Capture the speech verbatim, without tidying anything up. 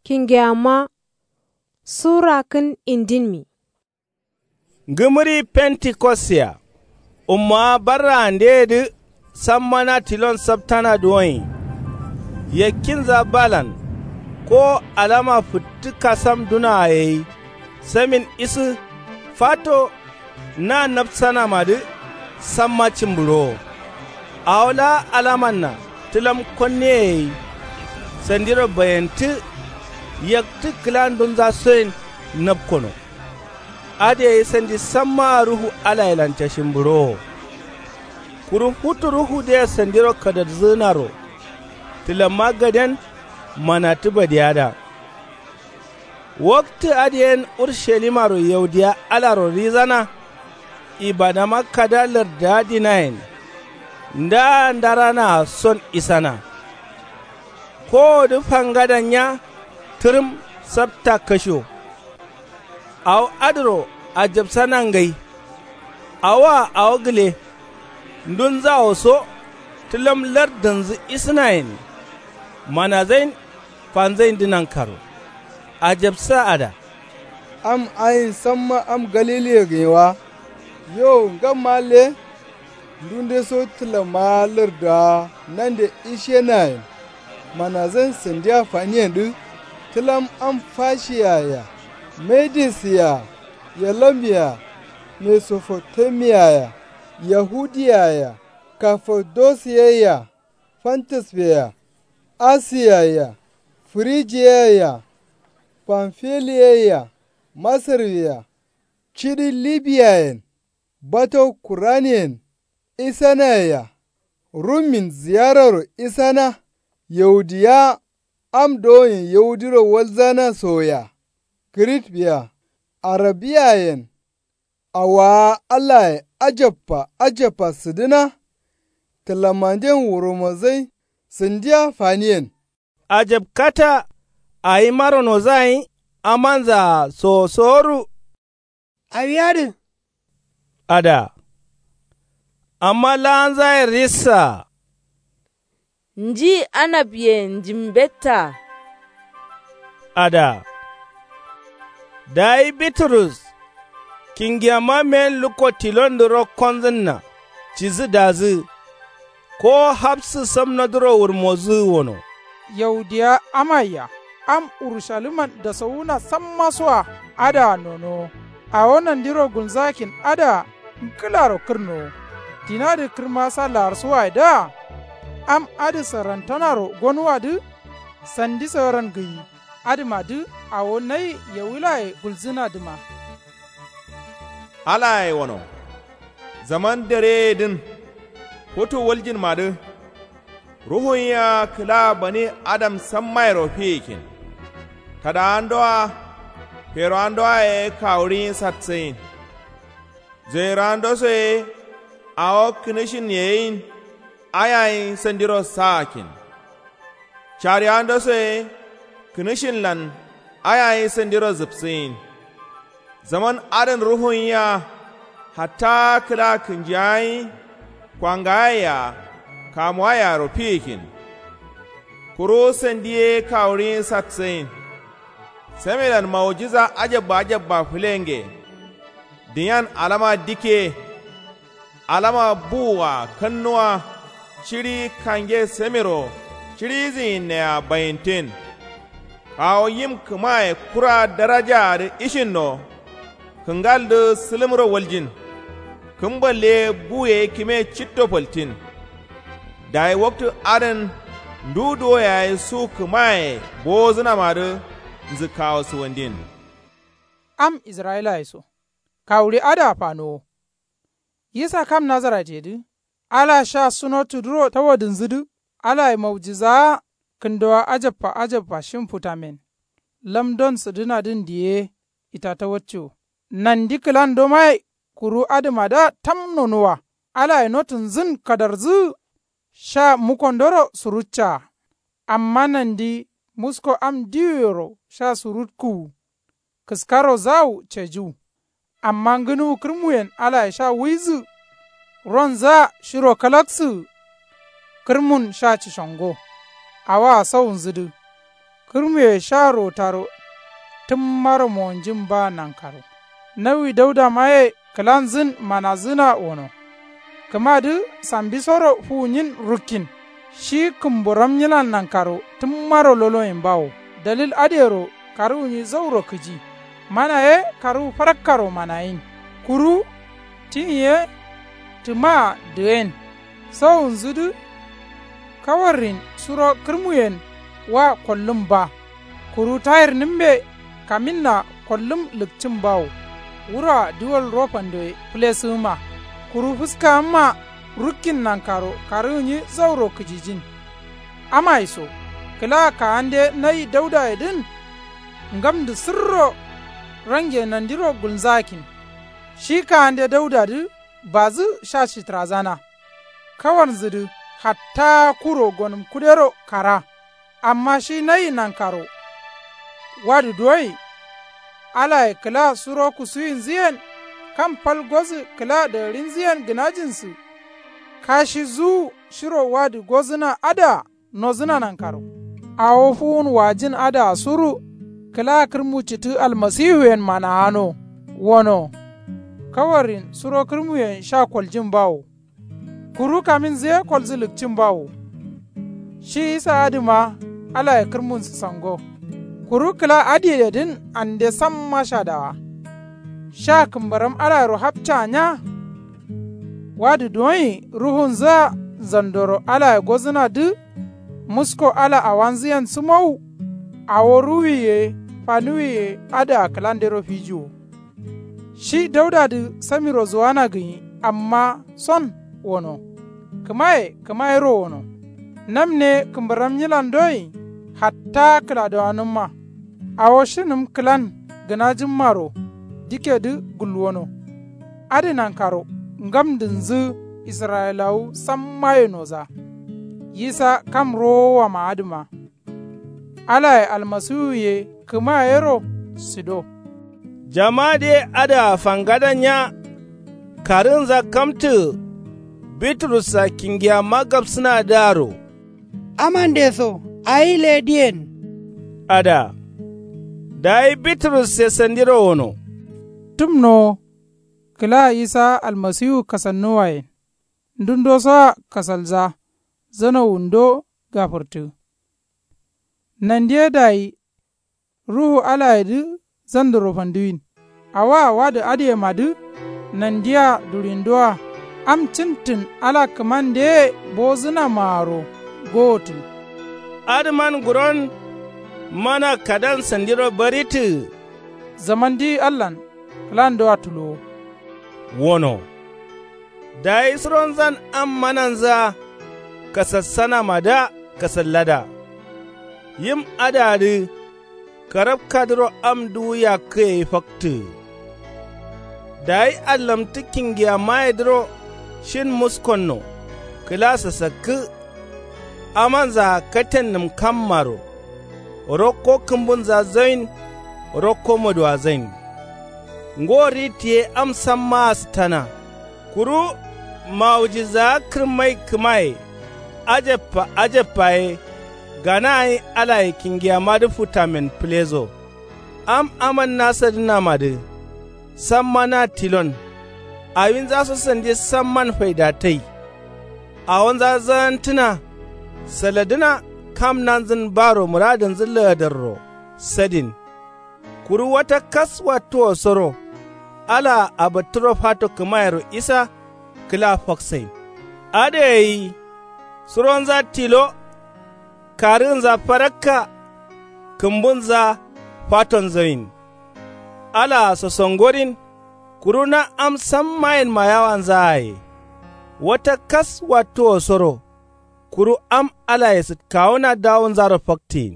Kingeyamma su rakkǝn indinmi. Ngǝmǝri pentikosya ummowa barraandeyedǝ samma na tilon saptana duwoin. Yakkinza balan ko alama fǝttǝ kasamduna gai samin isǝ fato na napsanamadǝ samma cǝmbǝɍowo. Awo laa alamanna tǝlam konneye gai sandiro bayentǝ yaktǝ kǝlandunzasoyen napkono. Adǝ gai sandi sammaa ruhu alayelan cashǝmbǝɍowo. Kuru futu ruhudǝye sandiro kadarzǝgǝnaro tǝlamma gaden manattǝ badiyada. Waktǝ adǝ yen urushalimaro yaudiya alaro rizana. Ibadama kada lardǝa dinayen ndaa ndaranaa son isana. Kowodǝ fangadan nya tǝrǝm sapta kasho. Awo adǝro ajabsana ngai. Awoa awo gǝle ndunzawo so tǝlam lardǝnzǝ isǝnayen manazain fanzaindǝ nankaro. Ajabsa ada. Am ayin samma am galiliye gǝnyi wa? Yo ngamma le. Ndunde so tǝlamma lardǝa nande ishenayen manazain sandiya faniyendǝ tǝlam am fashiya-a-ya, medis-ya-a, elam-ya-a, mesofotomiya-a-ya, yahudiya-a-ya, kafadosi-ye-a-ya, fantis-ye-a-ya, asiya-ye-a-ya, firijiya-ye-a-ya, fanfiliya-ye-a-ya, masar-ye-a-ya, ciɍi libiyayen, bato kuraniyen isanaye-a, rummin ziyararo isana, yaudiya am dowoyen yaudiro walzana soye-a, kǝrit-ye-a, arabiyayen. Awaa allaye ajabba ajabba sǝdǝna. Tǝlamanden wuromozai sǝndiya faniyen. Ajabkata awimaro nozagai amanzaa sowosoworu. Awi adǝ. Ada. Amma laanzaye rissaa. Nji anabyen njimbettaa. Ada. Dayi biturus kingiyamma men lukko tilondǝ rokkonzǝnna cisǝdazǝ. Kowo hapsǝ samnodǝro wurmozǝ wono. Yaudiya amaiya am urusaliman dasowuna sammasoa adǝa nonowo. Awo nandiro gulnzakin adǝa ngǝlaro kǝrnowo. Dinadǝ kǝrma sa laarsuwaye dǝa. Am adǝ sarantanaro gonuwadǝ sandi saran gǝyi. Adǝmadǝ awo nai yawilaye gulzǝnadǝma. Alaye wono zaman dereyedǝn futu wuljinmadǝ. Ruhun yea kǝla bani adam sammairo fiyikin. Tadawandoa ferowandoa ye kawurin satsayin. Zoirowandoso ye awo kǝnǝshin yeyin ayayin sandiro saakin. Cariwandoso ye kǝnǝshinlan ayayin sandiro zǝpsǝyin. Zaman adǝn ruhun yea hatta kǝla kǝnjiyayin kwangayai-a kamuwai-aro fiyikin. Kuru sandi ye kawurin satsayin. Samelan maujiza ajabba ajabba fǝlenge. Diyan alama dikke. Alama buwua kannuwa ciɍi kange samero ciɍizǝyinnea bayintin. Awo yim kǝmaye kura darajaadǝ ishinno. Kǝngaldǝ sǝlǝmro waljin. Kǝmballe ye buye kǝme citto faltin. Dayi waktǝ adǝn ndu duwo yayi su kǝmaye bowozǝnamadǝ nzǝkkawo suwandin. Am israyilaye so kawuri adǝa fanowo. Yisa kam nazaratyedǝ ala sha sunottudǝro tawadǝnzǝdǝ. Alaye maujizaa kǝndowa ajabba ajabba shimfutamen lamdon sǝdǝnadǝn diye itatawatco. Nandi kǝlandomaye kuru adǝmadǝa tam nonowa. Alaye notǝnzǝn kadarzǝgǝ sha mukondoro suruccaa. Amma nandi musko am diwuyero sha surukkǝwu. Kǝskaro zawu cajiwu. Amma ngǝnuwu kǝrmuyen alaye sha wuizǝ. Ronzǝa shiro kalaksǝgǝ. Kǝrmun sha cishongo. Awoa sawunzǝdǝ. Kǝrmuye sha rotaro tǝmmaro mowonjin ba nankaro. Nawi daudamaye kǝlanzǝn manazǝna wono. Kǝmadǝ sambisoro fuwunyin rukkin. Shi kǝmburam nyilan nankaro tǝmmaro loloyin bawo. Dalil adǝyero karǝwunyi zauro kǝji. Mana ye karǝwu farakkaro manayin. Kuru tin ye tǝmaa dǝyen. Sowunzudǝ kawarrin suro kǝrmuyen wa kollǝm ba. Kuru tayirnǝmme kaminna kollǝm lǝkcǝm bawo. Wuroa duwal ro fandoye fǝlesǝgǝma. Kuru fǝskagǝmma rukkin nankaro karǝgǝnyi zauro kǝjijin. Amai so kǝla kagande nayi daudayedǝn. Ngamdǝ sǝrro range nandiro gulnzakin. Shi kagande daudadǝ bazǝ sha shitǝrazana. Kawarnzǝdǝ hatta kuro gonǝm kudero kara. Amma shi nayi nankaro wadǝ doi. Alaye kǝla suro kusuwinzǝyen kam fal gozǝ kǝla dagarinzǝyen gǝnajinsǝ. Kashi zuwu shiro wadǝ gozǝna adǝa nozǝna nankaro. Awo fuwun wajin adǝa suru kǝla kǝrmu citǝ almasiwuyen mana'ano. Wono kawarrin suro kǝrmuyen sha koljin bawo. Kuru kaminzǝ ye kolzǝ lǝkcin bawo. Shi isa adǝma alaye kǝrmun sǝsango. Kuru kǝla adǝyedǝn ande samma shadawa. Sha kǝmbaram alayero hapca nya. Wadǝ doyin ruhunzǝa zandoro alaye gozǝnadǝ. Musko ala awanzǝyen sǝmowu. Awo ruwuwi ye fanuwi ye adǝa kǝlandero fijiwo. Shi daudadǝ samiro zuwana gǝnyi amma son wono. Kǝmaye kǝmayero wono. Namne kǝmbaram nyilan doyin hatta kǝladowanǝmma. Awo shinǝm kǝlan gǝnajǝmmaro dikedǝ gulwono. Adǝ nankaro ngamdǝnzǝ israyilawu sammaye noza. Yisa kam rowowama adǝma. Alaye almasiwuye kǝmayero sido. Jamadǝye adǝa fangada nya. Karǝgǝnza kamtǝgǝ. Biturussa kingiyama gapsǝnadǝaro. Amande so ayi lediyen. Adǝa. Dayi biturusse sandiro wono. Tǝmnowo kǝla isa almasiwu kasannuwayen. Ndundosoa kasalza zanowundo gafǝrtǝ. Nandi ye dayi ruhu alayedǝ zandoro fanduwin. Awoa wadǝ adǝyemadǝ nandia durindoa am cǝntǝn ala kǝmandeye bozǝnamaaro gowotǝ. Adǝman guron mana kadan sandiro baritǝgǝ. Zamandi allan kǝlandoa tulowo. Wono. Dayi suronzan am mananzǝa kasassanamadǝa kasallada. Yim adǝadǝ karabkadǝro am duwu yakkǝ gai faktǝgǝ. Dayi allamtǝ kingiyamayedǝro shin muskonno kǝla sasakkǝ. Amanzaa katennǝm kammaro. Rokko kǝmbunza zain. Rokko moduwa zain. Ngo rit ye am sammaa sǝtana. Kuru mawujizaa kǝrmai kǝmaye. Ajabba ajabba ye gana gǝnyi alaye kingiyamadǝ futamen fǝleso. Am aman nasadǝnamadǝ samma na tilon. Awinzaso sandi samman faidatai. Awonza zagantǝna saladǝna kam nanzǝn baro muradǝnzǝ lagadarro sadin. Kuru wata kas wattuwosoro alaa abatturo fato kǝmayero isa kǝla faksain. Adǝ gai suronza tilo. Karǝgǝnza farakka. Kǝmbunza fatonzawin. Alaa sosongorin. Kuru na am sammayenma yawanzaaye. Wata kas wattuwosoro kuru am alaye sǝtkawuna dawunzaro faktǝgin.